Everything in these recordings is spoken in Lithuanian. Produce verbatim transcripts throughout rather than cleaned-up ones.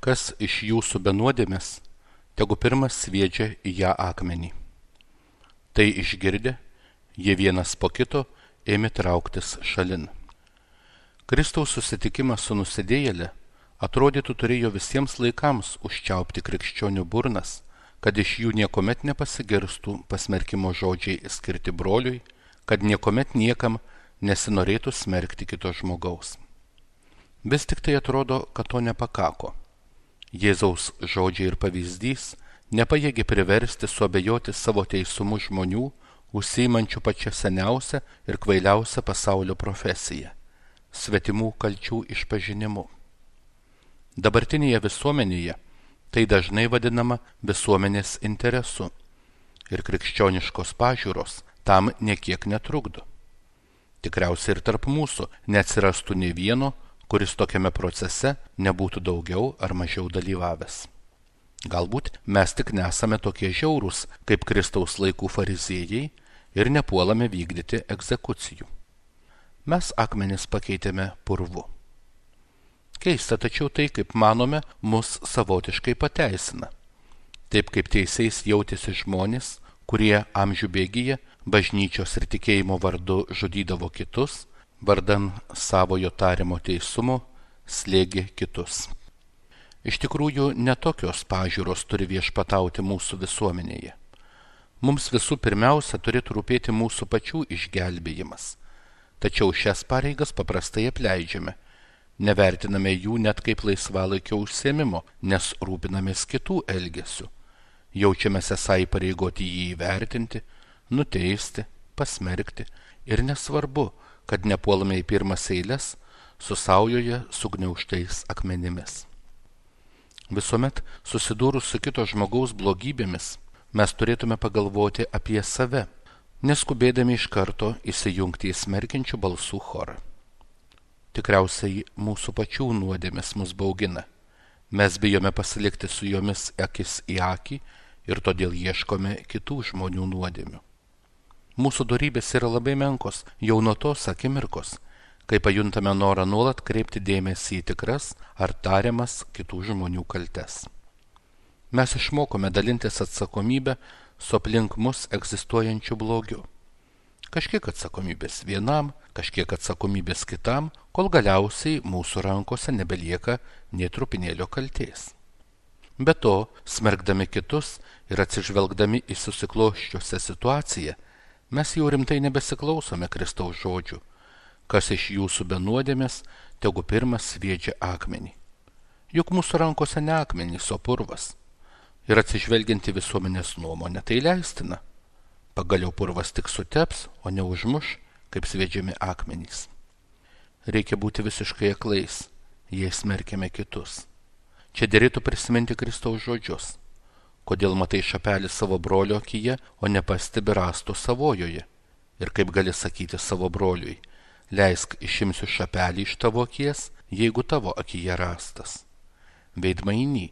Kas iš jūsų be nuodėmės, tegu pirmas sviedžia į ją akmenį. Tai išgirdę, jie vienas po kito ėmė trauktis šalin. Kristaus susitikimas su nusidėjėle atrodytų turėjo visiems laikams užčiaupti krikščionių burnas, kad iš jų niekomet nepasigirstų pasmerkimo žodžiai skirti broliui, kad niekomet niekam nesinorėtų smerkti kito žmogaus. Vis tik tai atrodo, kad to nepakako. Jėzaus žodžiai ir pavyzdys nepajėgė priversti suabejoti savo teisumu žmonių, užsiimančių pačią seniausią ir kvailiausią pasaulio profesiją – svetimų kalčių išpažinimu. Dabartinėje visuomenėje tai dažnai vadinama visuomenės interesu ir krikščioniškos pažiūros tam niekiek netrukdo. Tikriausiai ir tarp mūsų neatsirastų nei vieno, kuris tokiame procese nebūtų daugiau ar mažiau dalyvavęs. Galbūt mes tik nesame tokie žiaurūs, kaip Kristaus laikų fariziejai ir nepuolame vykdyti egzekucijų. Mes akmenis pakeitėme purvu. Keista, tačiau tai, kaip manome, mus savotiškai pateisina. Taip kaip teisiais jautėsi žmonės, kurie amžių bėgyje bažnyčios ir tikėjimo vardu žudydavo kitus, vardan savojo tariamo teisumo slėgė kitus. Iš tikrųjų, netokios pažiūros turi viešpatauti mūsų visuomenėje. Mums visų pirmiausia turėtų rūpėti mūsų pačių išgelbėjimas. Tačiau šias pareigas paprastai apleidžiame. Nevertiname jų net kaip laisvalaikio užsiėmimo, nes rūpinamės kitų elgesių. Jaučiamės esą įpareigoti jį įvertinti, nuteisti, pasmerkti ir nesvarbu, kad nepuolame į pirmas eiles su saujoje sugniaužtais akmenimis. Visuomet susidūrus su kito žmogaus blogybėmis, mes turėtume pagalvoti apie save, neskubėdami iš karto įsijungti į smerkiančių balsų chorą. Tikriausiai mūsų pačių nuodėmės mus baugina. Mes bijome pasilikti su jomis akis į akį ir todėl ieškome kitų žmonių nuodėmių. Mūsų dorybės yra labai menkos jau nuo tos akimirkos, kai pajuntame norą nuolat kreipti dėmesį į tikras ar tariamas kitų žmonių kaltes. Mes išmokome dalintis atsakomybę su aplink mus egzistuojančiu blogiu. Kažkiek atsakomybės vienam, kažkiek atsakomybės kitam, kol galiausiai mūsų rankose nebelieka nė trupinėlio kaltės. Be to, smerkdami kitus ir atsižvelgdami į susikloščiusią situaciją, mes jau rimtai nebesiklausome Kristaus žodžių, kas iš jūsų be nuodėmės, tegu pirmas sviedžia akmenį. Juk mūsų rankose ne akmenys, o purvas. Ir atsižvelgianti visuomenės nuomonę tai leistina. Pagaliau purvas tik suteps, o ne užmuš, kaip sviedžiami akmenys. Reikia būti visiškai aklais, jei smerkiame kitus. Čia derėtų prisiminti Kristaus žodžius. Kodėl matai šapelį savo brolio akyje, o nepastebi rąsto savojoje? Ir kaip gali sakyti savo broliui, leisk išimsiu šapelį iš tavo akies, jeigu tavo akyje rąstas. Veidmainy,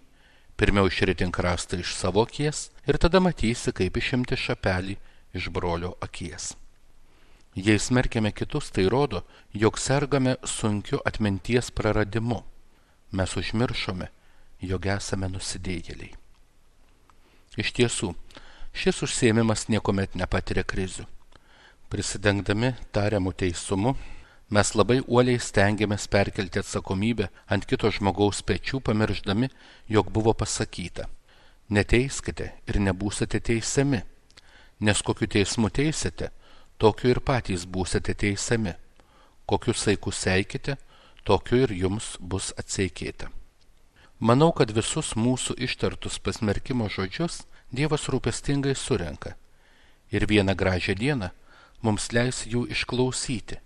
pirmiau išritink rąstą iš savo akies ir tada matysi, kaip išimti šapelį iš brolio akies. Jei smerkiame kitus, tai rodo, jog sergame sunkiu atminties praradimu. Mes užmiršome, jog esame nusidėjėliai. Iš tiesų, šis užsiėmimas niekuomet nepatiria krizių. Prisidengdami tariamų teisumu, mes labai uoliai stengiamės perkelti atsakomybę ant kito žmogaus pečių, pamiršdami, jog buvo pasakyta: neteiskite ir nebūsite teisiami, nes kokiu teismu teisite, tokiu ir patys būsite teisiami. Kokiu saiku seikite, tokiu ir jums bus atseikėta. Manau, kad visus mūsų ištartus pasmerkimo žodžius Dievas rūpestingai surenka ir vieną gražią dieną mums leis jų išklausyti.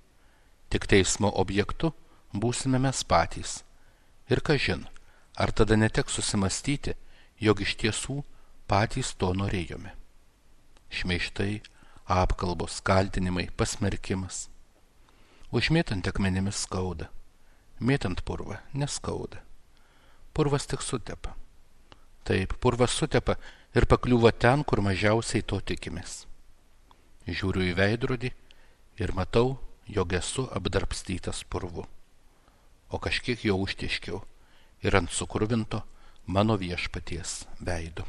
Tik teismo objektu būsime mes patys. Ir kažin, ar tada neteks susimastyti, jog iš tiesų patys to norėjome. Šmeižtai, apkalbos, kaltinimai, pasmerkimas. Užmėtant akmenimis skauda, mėtant purvą neskauda. Purvas tik sutepa. Taip, purvas sutepa ir pakliūva ten, kur mažiausiai to tikimės. Žiūriu į veidrodį ir matau, jog esu apdrabstytas purvu. O kažkiek jau užtiškiau ir ant sukruvinto, mano viešpaties veidu.